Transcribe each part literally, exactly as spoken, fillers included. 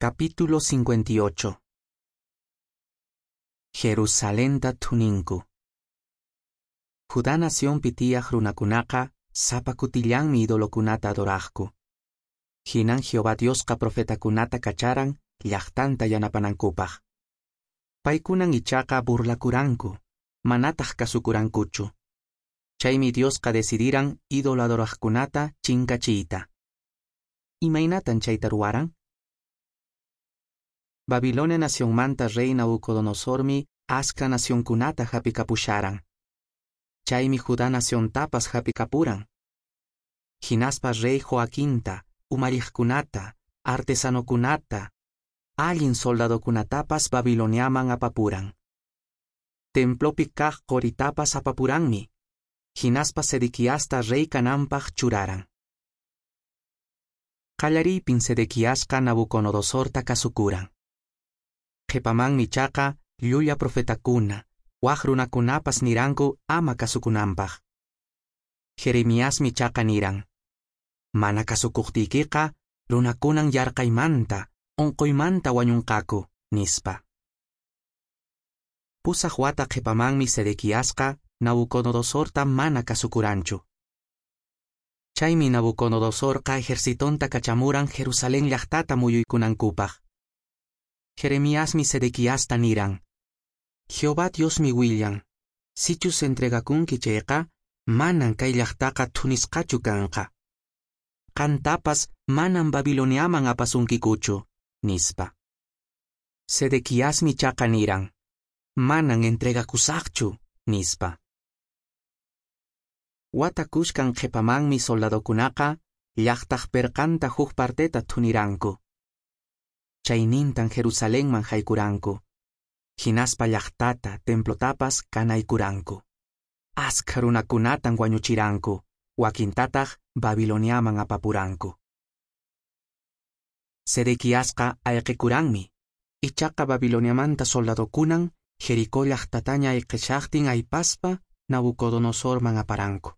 Capítulo cincuenta y ocho. Jerusalenta thuninku. Judá nacionpi tiyaq runakunaqa sapa kutillanmi idolokunata adoraqku. Hinan Jehová Diosqa profetakunata kacharan llaqtanta yanapanankupaq. Paykunan ichaqa burlakuranku, manataq kasukurankuchu. Chaymi Diosqa decidiran ídolo adoraqkunata chinkachiyta. Imaynatan chayta ruwaran? Babilonia nacionmanta rey Nabucodonosormi askha nacionkunata hap'ikapusharan. Chaymi Judá naciontapas hap'ikapuran. Hinaspa rey Joaquinta, umalliqkunata, artesanokunata, allin soldadokunatapas Babiloniaman apapuran. Templopi kaq qoritapas apapuranmi. Hinaspa Sedequiasta rey kananpaq churaran. Qallariypin Sedequiasqa Nabucodonosorta kasukuran. Qhipamanmi ichaqa llulla profetakuna, wak runakunapas niranku ama kasukunanpaq. Jeremiasmi ichaqa niran: Mana kasukuqtiykiqa runakunan yarqaymanta, unquymanta wañunqaku, nispa. Pusaq wata qhipamanmi Sedequiasqa Nabucodonosorta mana kasukuranchu. Chaymi Nabucodonosorqa ejercitonta kachamuran Jerusalén llaqtata muyuykunankupaq. Jeremiasmi Sedequiasta niran: Jehová Diosmi willan, sichus entregakunki chayqa, manan kay llaqtaqa thunisqachu kanqa. Qantapas manan Babiloniaman apasunkikuchu, nispa. Sedequiasmi ichaqa niran: Manan entregakusaqchu, nispa. Wata kushkan qhipamanmi soldadokunaqa llaqtaq perqanta huk parteta thuniranku. Chaynintan Jerusalenman haykuranku. Hinaspa llaqtata, templotapas kanaykuranku. Askha runakunatan wañuchiranku, wakintataq Babiloniaman apapuranku. Sedequiasqa ayqikuranmi. Ichaqa Babiloniamanta soldadokunan Jericó llaqtataña ayqishaqtin aypaspa Nabucodonosorman aparanku.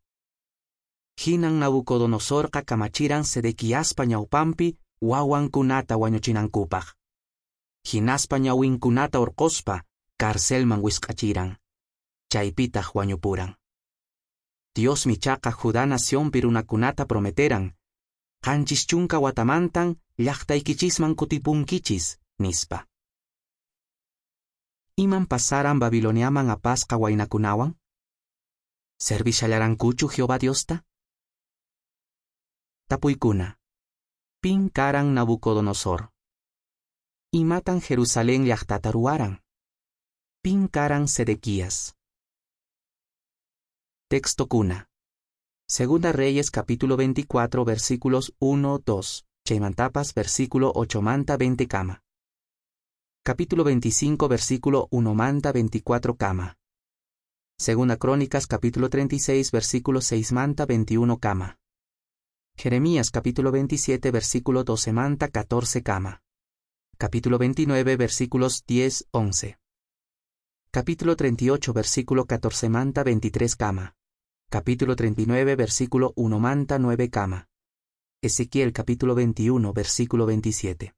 Hinan Nabucodonosorqa kamachiran Sedequiaspa ñawpanpi wawankunata wañuchinankupaq. Hinaspa ñawinkunata hurqospa carcelman wisq'achiran. Chaypitaq wañupuran. Diosmi ichaqa Judá nacionpi runakunata prometeran: qanchis chunka watamantan llaqtaykichisman kutipunkichis, nispa. Iman pasaran Babiloniaman apasqa waynakunawan? Servishallarankuchu Jehová Diosta? Tapuykuna. Pin karan Nabucodonosor? Imatan Jerusalén llaqtata ruwaran? Pin karan Sedequías? Texto kuna. Segunda Reyes capítulo veinticuatro versículos uno, dos, chaymantapas versículo ocho manta veinte kama. Capítulo veinticinco versículo uno manta veinticuatro kama. Segunda Crónicas capítulo treinta y seis versículo seis manta veintiuno kama. Jeremías capítulo veintisiete versículo doce manta catorce kama. Capítulo veintinueve versículos diez, once. Capítulo treinta y ocho versículo catorce manta veintitrés kama. Capítulo treinta y nueve versículo uno manta nueve kama. Ezequiel capítulo veintiuno versículo veintisiete.